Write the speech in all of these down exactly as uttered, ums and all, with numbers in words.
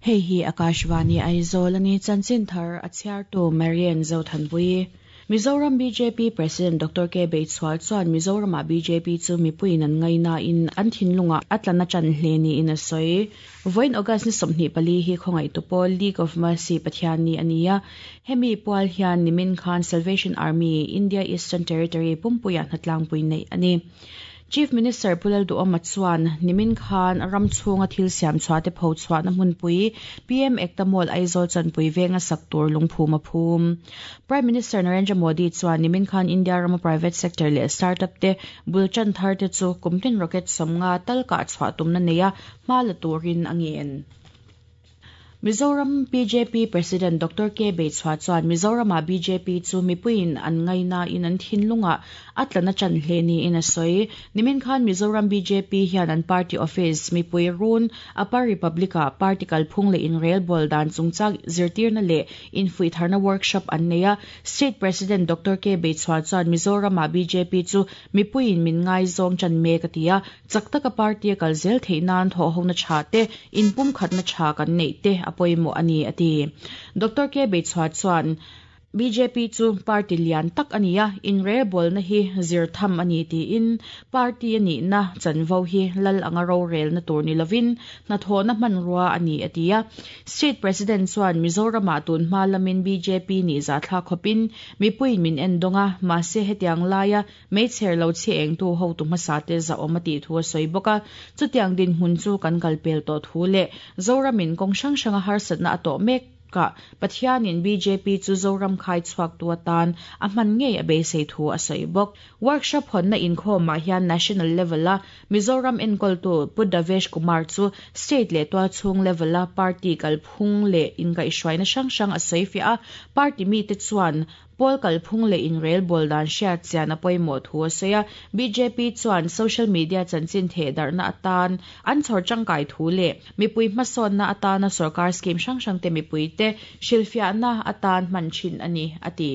Hei hi Akashvani Aizawl ani chanchin thar a chhiartu Marian Zothanpui. Mizoram B J P President Doctor K Beichhual chuan Mizorama B J P chu mipuiin an ngaina in an thinlunga atlana chan hle ni in a sawi. Voin August ni sawmhnih pali hi khawngaih tu pawl League of Mercy Pathian ni ania. Hemi pual hian nimin khan Salvation Army India Eastern Territory pumpuia hnatlangpui nei ani. Chief Minister Pu Lalduhoma chuan nimin khan ram chhunga thil siam chhuah te pho chhuah na hmunpui P M Ekta Mall Aizawl Chanpui venga sak tur lungphum a phum. Prime Minister Narendra Modi chuan nimin khan India rama private sector leh startup te bulchan thar te chu kumtin rocket sawmnga tal ka chhuah tumna neia hma la turin a ngen. Mizoram B J P President Doctor K Beichhua chuan Mizorama B J P chu mipuiin an ngaina in an thinlunga atlana chan hle ni in a sawi. Nimin khan Mizoram B J P hian an party office mipui run Upper Republica party kalphung le in rel bol dan chungchang zirtirna le in fui tharna workshop an neia. State President Doctor K Beichhua chuan Mizorama B J P chu mipuiin min ngai zawng chan me katia chaktaka party kal zel theinan tho hona tha te in pum khatna tha kan nei te apoimo ani ati. Doctor K Beichhua chuan B J P chu party lian tak ania in re bol na hi zir tham ani ti in party ani na chanvo hi lal anga ro rel na tur ni lovin na tho na man ruwa ani atia. State President chuan Mizorama tun hma lamin B J P ni za thla khopin mipui min en donga ma se hetiang laia meichher lo che eng tu ho tu hmasa te za omati thu soi boka chutiang din hun chu kan kalpel to thu le Zoramin kong sang sanga har satna ato mek ka Pathianin B J P chu Zoram khai chuak tu atan a hman ngei a beisei thu a sawi bawk. Workshop hon na inkhawm ah hian national level a Mizoram enkawl tu Pu Davesh Kumar chu state leh tual chhung level a party kalphung leh inkaihhruaina hrang hrang a sawi fiah a. Party mi te chuan pawl kalphung leh inrel bol dan hriat chian a pawimawh thu a sawi a. B J P chuan social media chanchin theh darhna atan an chhawr tangkai thu leh mipui hmasawnna atana sarkar scheme hrang hrang te mipui te hrilhfiahna atan hman thin ani ati.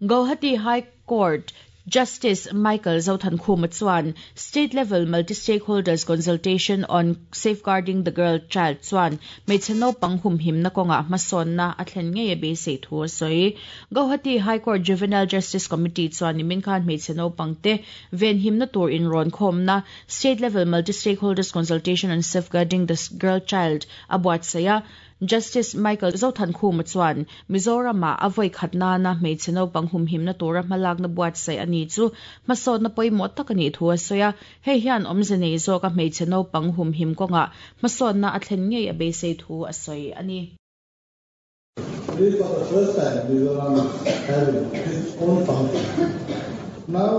Guwahati High Court Justice Michael Zothankhuma chuan State Level Multi-Stakeholders Consultation on Safeguarding the Girl Child chuan hmeichhe naupang humhimna kawnga hmasawnna a thlen ngei a beisei thu a sawi. Guwahati High Court Juvenile Justice Committee chuan nimin khan hmeichhe naupang te venhimna tur inrawn khawmna State Level Multi-Stakeholders Consultation on Safeguarding the Girl Child a buatsaih a. Justice Michael Zothankhuma chuan Mizorama a voi khatna na hmeichhe naupang humhimna tura hmalakna buatsaih ani chu hmasawnna pawimawh tak ani thu a sawi a. Hei hian awmze nei zawka hmeichhe naupang humhim kawnga hmasawnna a thlen ngei a beisei thu a sawi ani. Today, for the first time, Mizoram is having its own function. Now,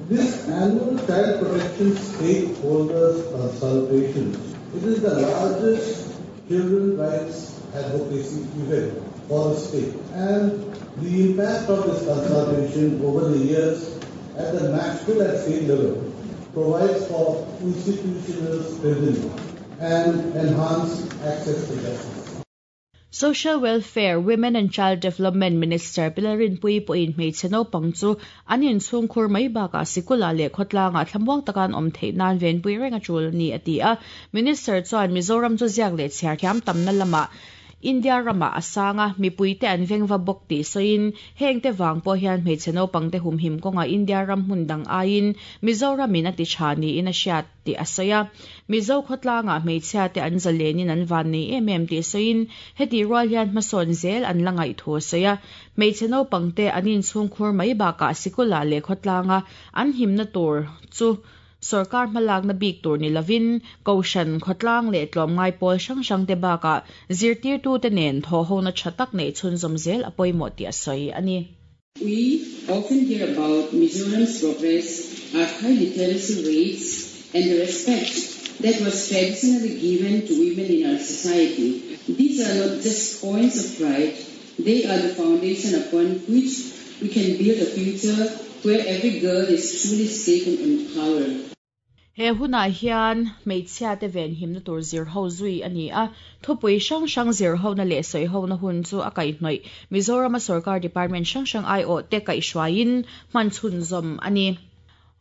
this annual Child Protection Stakeholders Consultation, it is the largest children rights advocacy event for the state. And the impact of this consultation over the years at the national and state level provides for institutional strengthening and enhanced access to justice. Social Welfare, Women and Child Development Minister Pi Lalrinpuii pawhin hmeichhe naupang chu an inchhung khur mai bakah sikula leh khawtlanga thlamuang takan awm theih nan venpui reng a tul ni a ti a. Minister chuan Mizoram chu ziak leh chhiar thiam tamna lamah India rama asanga mipui te an vengva bawk ti sawiin heng te wang pawh hian hmeichhe naupang te humhim kawnga India ram hmun dang aiin Mizoramin a ti tha ni in a hriat ti a sawi a. Mizo khawtlanga hmeichhia te an zalenin an van nei em em ti sawiin heti rual hian hmasawn zel an la ngaih thu a sawi a. Hmeichhe naupang te an inchhung khur mai bakah sikula leh khawtlanga an himna tur chu sarkar hmalakna bik tur ni lovin kohhran khawtlang leh tlawmngai pawl hrang hrang te bakah zirtirtu te nen thaw hona tha tak nei chhunzawm zel a pawimawh ti a sawi ani. We often hear about Mizoram's progress, our high literacy rates, and the respect that was traditionally given to women in our society. These are not just points of pride, they are the foundation upon which we can build a future where every girl is truly safe and empowered. He hunah hian hmeichhia te ven himna tur zir ho zui ani a. Thupui hrang hrang zir ho na leh sawi ho na hun chu a kaihhnawih Mizorama sarkar department hrang hrang ai aw te kaihhruaiin hman chhunzawm ani.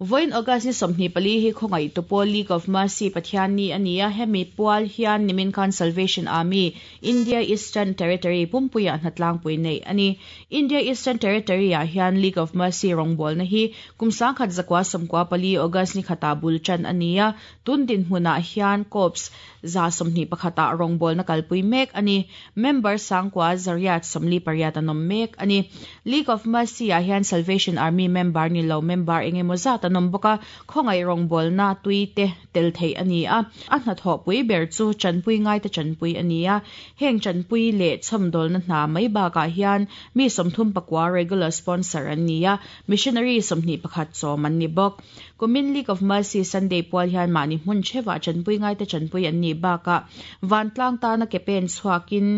Voin August ni sawmhnih pali hi khawngaih tupawl League of Mercy Pathian ni ania hemi pual hian nimin khan Salvation Army India Eastern Territory pumpuia hnatlang pui nei ani. India Eastern Territory ah hian League of Mercy rawngbawlna hi kum sangkhat zakwa sawmkua pali August ni khata bul chan ania tun din hmunah hian corps za sawmhnih pakhata rawngbawlna kalpui mek ani. Member sangkua zariat sawmli pariat an awm mek ani. League of Mercy ah hian Salvation Army member ni lo member engemaw zat an awm bawk a khawngaih rawngbawlna tui te tel thei ani a. A hnathawh pui ber chu chanpui ngai te chanpui ani a. Heng chanpui leh chhawmdawlna hna mai bakah hian mi sawmthum pakua regular sponsor an ni a. Missionary sawmhnih pakhat chawm an ni bawk. Kumin League of Mercy Sunday pual hian mahni hmun theuhah chanpui ngai te chanpui an ni bakah vantlang tana ke pen chhuakin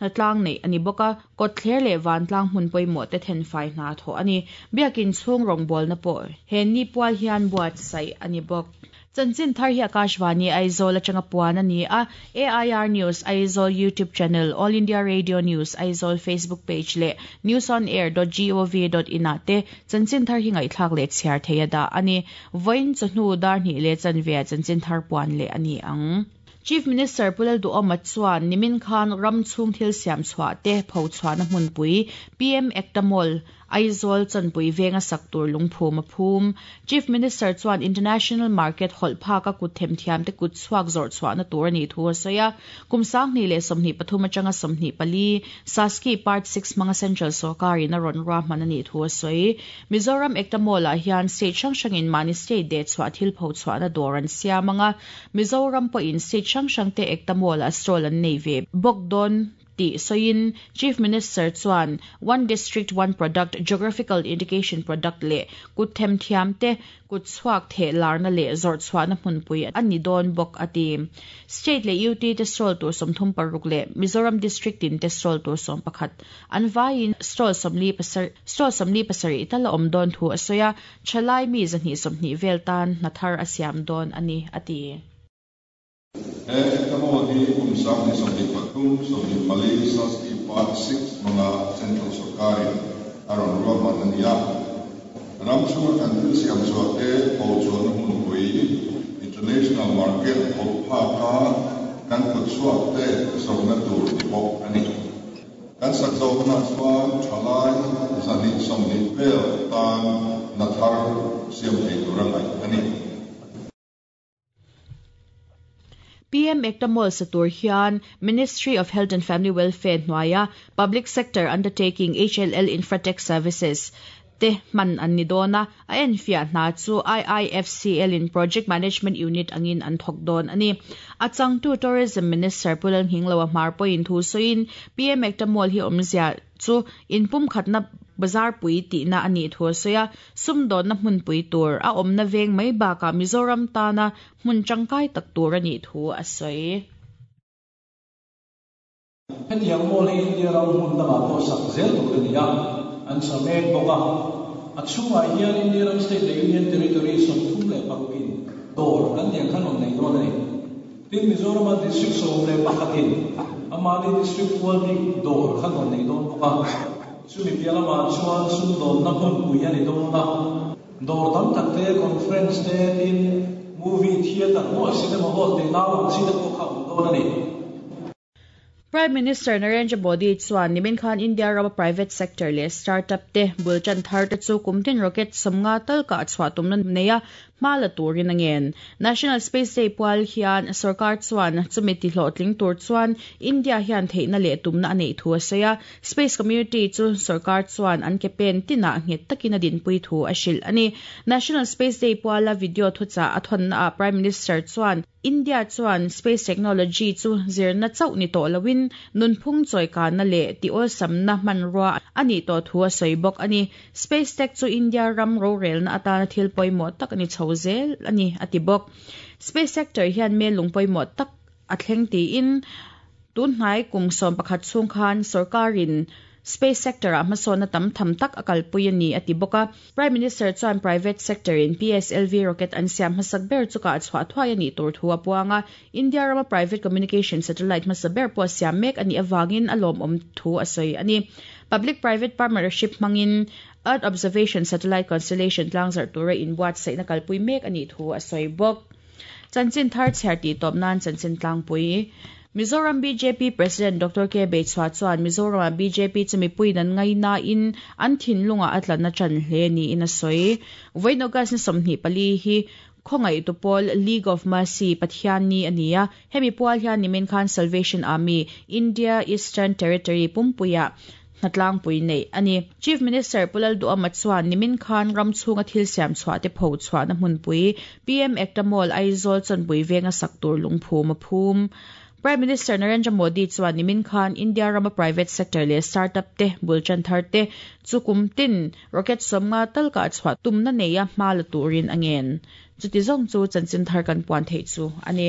hnatlang nei ani bawk a. Kawtthler leh vantlang hmun pawimawh te thenfai hna thawh ani. Biakin chhung rawngbawlna pawh he ni pual hian buatsaih ani bawk. Chanchin thar hi Akashvani Aizawl atanga puan ani a. A I R News Aizawl YouTube channel, All India Radio News Aizawl Facebook page leh newsonair dot gov dot in ah te chanchin thar hi ngaihthlak leh chhiar thei a dah ani. Vawiin chawhnu dar hnih leh chanve chanchin thar puan leh ani ang. Chief Minister Pulal Duhoma chuan nimin khan ram chhung thil siam chhuah te pho chhuahna hmunpui P M Ekta Mall Aizawl chanpui venga sak tur lungphum a phum. Chief Minister chuan international market hawlh phak a kut themthiam te kut chhuak zawrh chhuahna tur ani thu a sawi a. Kum sanghnih leh sawmhnih pathum atanga sawmhnih pali Saski Part six hmanga Central Sawrkarin a rawn ruahman ani thu a sawi. Mizoram Ekta Mall ah hian state hrang hrangin mahni state deh chhuah thil pho chhuahna dawr an siam anga. Mizoram pawhin state hrang hrang te Ekta Mall ah stall an nei ve bawk dawn ti soin. Chief Minister chuan one district one product geographical indication product le kut themthiam te kut chhuak the larna leh zawrh chhuahna hmunpui ani dawn bawk ati. State leh U T te stall tur sawmthum paruk leh Mizoram district in te stall tur sawm pakhat an vaiin stall sawmli pasar stall sawmli pasarih tala awm dawn thu a sawi a. Thalai mi zahnih sawmhnih vel tan hnathar a siam dawn ani ati. He Ekta Mall hi kum sanghnih sawmhnih pathum sawmhnih pali Saski Part six hmanga Central Sawrkarin a rawn ruahman ani a. Ram chhunga kan thil siam chhuah te pho chhuahna hmunpui international market hawlh phaka kan kut chhuak te zawrhna tur ni bawk ani. Kan sak zawhna chuan thalai zahnih sawmhnih vel tan hnathar siam thei tur a ngaih ani. P M Ekta Mall satur hian Ministry of Health and Family Welfare hnuaia Public Sector Undertaking H L L Infratech Services te man an ni dawna a enfiah hna chu I I F C L in Project Management Unit angin an thawk dawn ani. A changtu Tourism Minister Pulal Hinglo a hmar pawhin thu sawiin P M Ekta Mall hi awmzia chu inpum khatna bazar pui tihna ani thu a sawi a. Sumdawnna hmunpui tur a awmna veng mai bakah Mizoram tana hmun tangkai tak tur ani thu a sawi. Hetiang mall hi India ram hmun dangah pawh sak zel tur ani a. An sa mek bawk a. A chhungah hian India ram state leh Union Territory sawmthum leh parukin dawr kan tiang khan awm nei dawn ani. Tin Mizoram district sawm leh pakhatin amahni district pual bik dawr khan awm nei dawn bawk a. Chumi pialama chuan sumdawnna hmunpui ani dawn a. Dawr tam tak te conference te tin movie theater maw cinema hall te nau ang chi te pawh kha awm dawn ani. Prime Minister Narendra Modi chuan nimin khan India rama private sector leh startup te bulchan thar te chu kumtin rocket sawmnga tal ka chhuah tumna neia hma la turin a ngen. National Space Day pual hian sarkar chuan chumi ti hlawhtling tur chuan India hian theihna leh tumna a neih thu a sawi a. Space community chu sarkar chuan an ke pen tinah nghet takin a dinpui thu a hrilh ani. National Space Day puala video thucha a thawnna ah Prime Minister chuan India chuan space technology chu zirna chauh ni tawh loin nunphung chawikana leh ti awlsamna hmanrua ani tawh thu a sawi bawk ani. Space tech chu India ram rorelna atana thil pawimawh tak ani chho zel ani ati bawk. Space sector hian me lung pawimawh tak a thleng tiin tun hnai kum sawm pakhat chhung khan sarkarin Space sector a hmasawna tam tham tak a kalpui ani ati bawka. Prime Minister chuan private sector in P S L V rocket an siam hmasak ber chuka chhuah thuai ani tur thu a puanga. India rama private communication satellite hmasa ber pawh siam mek ani awangin a lawm awm thu a sawi ani. Public private partnership hmangin Earth Observation Satellite Constellation tlangzar tura in buatsaih na kalpui mek ani thu a sawi bawk. Chanchin thar chhiar ti tawp nan chanchin tlangpui. Mizoram B J P President Doctor K Beichhua chuan Mizoram B J P chumi pui nan ngai na in an thinlunga atlan na chan hle ni in a sawi. Vawiin August ni sawmhnih pali hi khongai tu pawl League of Mercy Pathian ni ania. Hemi pual hian nimin khan Salvation Army India Eastern Territory pumpuia hnatlang pui nei ani. Chief Minister Pulal Duama chuan nimin khan ram chhunga thil siam chhuah te pho chhuah na hmunpui P M Ekta Mall Aizawl chawnpui venga sak tur lungphum a phum. Prime Minister Narendra Modi chuan nimin khan India rama private sector le startup te bulchan thar te chukum tin rocket somnga talka chhuah tumna neia hma la turin angen. Chuti zawng chu chanchin thar kan puan thei chu ani.